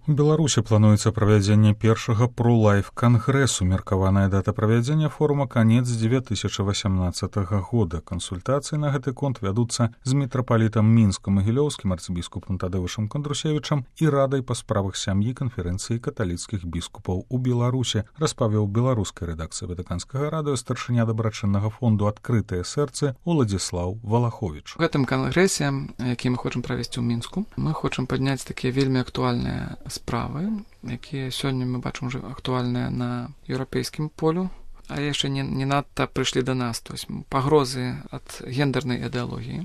У Беларусі плануецца правядзенне першага пролайф-кангрэсу. Меркаваная дата правядзення форума канец 2018 года. Кансультацыі на гэты конт вядуцца з мітрапалітам мінска-магілёўскім арцыбіскупам Тадэвышам Кандрусевічам і радай па справах сям'і канферэнцыі каталіцкіх біскупаў у Беларусе, распавёў беларускай рэдакцыі Ватыканскага радыё старшыня дабрачыннага фонду «Адкрытае сэрцы» Уладзіслаў Валаховіч. У гэтым кангрэсе, які мы хочам правесці ў Мінску, мы хочам падняць такія вельмі актуальныя справы, якія сёння мы бачым уже актуальныя на еўрапейскім полю, але яшчэ не надта прыйшлі да нас, то есть пагрозы ад гендернай ідэалогіі,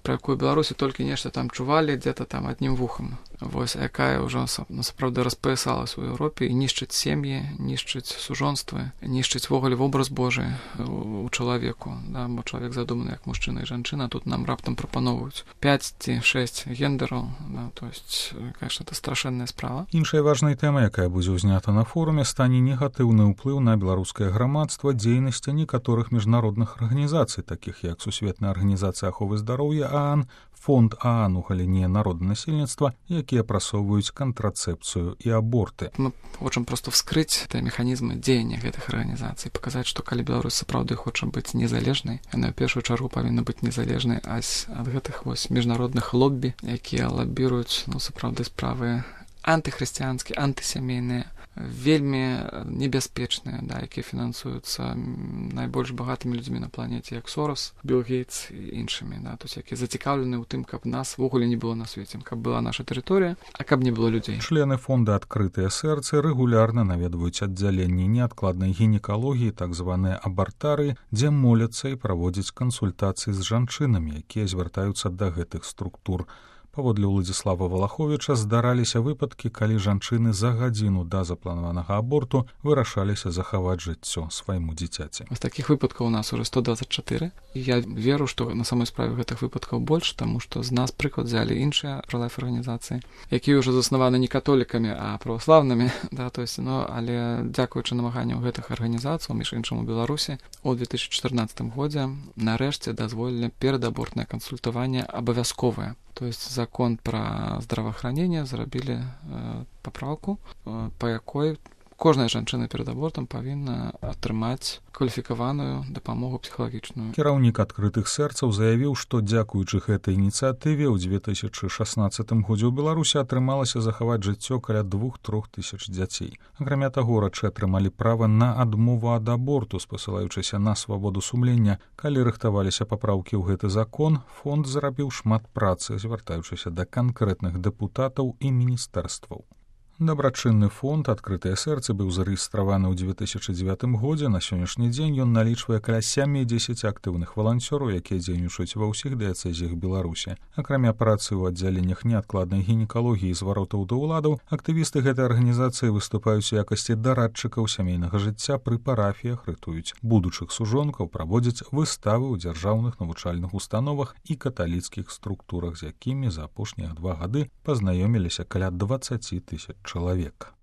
пра якую Беларусі толькі нешта там чувалі дзе-то там аднім вухам. Вось, якая ўжо насапраўды распаясалась у Еўропе і нішчыць сем'і, нішчыць сужонствы, нішчыць ввогуле вобраз Божы у чалавеку, да, бо чалавек задуманы як мужчына і жанчына, тут нам раптам прапаноўваюць 5 ці 6 гендераў, да, то есть, конечно, это страшэнная справа. Іншай важнай тэмай, якая будзе ўзнята на форуме, стане негатыўны ўплыў на беларускае грамадства дзейнасці некаторых міжнародных арганізацый, такіх як Сусветная арганізацыя аховы здароўя ААН, Фонд ААН у галіне народнасельніцтва, якія прасоўваюць кантрацэпцыю і аборты. Мы хочам проста вскрыць тыя механізмы дзеяння гэтых арганізацый, паказаць, што калі Беларусь сапраўды хоча быць незалежнай, яна ў першую чаргу павінна быць незалежнай ад гэтых вось міжнародных лоббі, якія лабіруюць, сапраўды справы антыхрысціянскія, антысямейныя, вельмі небяспечныя, да, якія фінансуюцца найбольш багатымі людзьмі на планеце, як Сорос, Білл Гейтс і іншымі, да, то есть якія зацікаўлены ў тым, каб нас ввогуле не было на свеце, каб была наша тэрыторыя, а каб не было людзей. Члены фонда «Адкрытыя сэрцы» рэгулярна наведваюць аддзяленні неадкладнай гінекалогіі, так званыя абартары, дзе моляцца і праводзяць кансультацыі з жанчынамі, якія звяртаюцца да гэтых структур. Паводле Уладзіслава Валаховіча здараліся выпадкі, калі жанчыны за гадзіну да запланаванага аборту вырашаліся захаваць жыццё свайму дзіцяці. З такіх выпадкаў у нас уже 124. Я веру, што на самой справе гэтых выпадкаў больш, таму што з нас прыклад взялі іншыя пролайф-арганізацыі, якія ўжо заснаваны не католікамі, а праваслаўнымі, да, то есть, але дзякуючы намаганням гэтых арганізацый, між іншым у Беларусі, у 2014 годзе нарэшце дазволілі перадабортнае кансультаванне абавязковае. То есть закон про здравоохранение зрабілі папраўку, па якой кожная жанчына перад абортам павінна атрымаць кваліфікаваную дапамогу псіхалагічную. Кіраўнік адкрытых сэрцаў заявіў, што дзякуючы гэтай ініцыятыве ў 2016 годзе ў Беларусі атрымалася захаваць жыццё каля 2-3 тысяч дзяцей. Акрамя таго, урачы атрымалі права на адмову ад аборту, спасылаючыся на свабоду сумлення. Калі рыхтаваліся папраўкі ў гэты закон, фонд зрабіў шмат працы, звяртаючыся да канкрэтных дэпутатаў і міністэрстваў. Дабрачынны фонд «Адкрытае сэрцы» быў зарэгістраваны ў 2009 годзе. На сённяшні дзень ён налічвае каля 70 актыўных валанцёраў, якія дзейнічаюць ва ўсіх дыяцэзіях Беларусі. Акрамя працы ў аддзяленнях неадкладнай гінекалогіі і зваротаў да ўладаў, актывісты гэтай арганізацыі выступаюць у якасці дарадчыкаў сямейнага жыцця пры парафіях, рытуюць будучых сужонкаў, праводзяць выставы ў дзяржаўных навучальных установах і каталіцкіх структурах, з якімі за апошнія 2 гады пазнаёміліся каля 20 тысяч чалавек.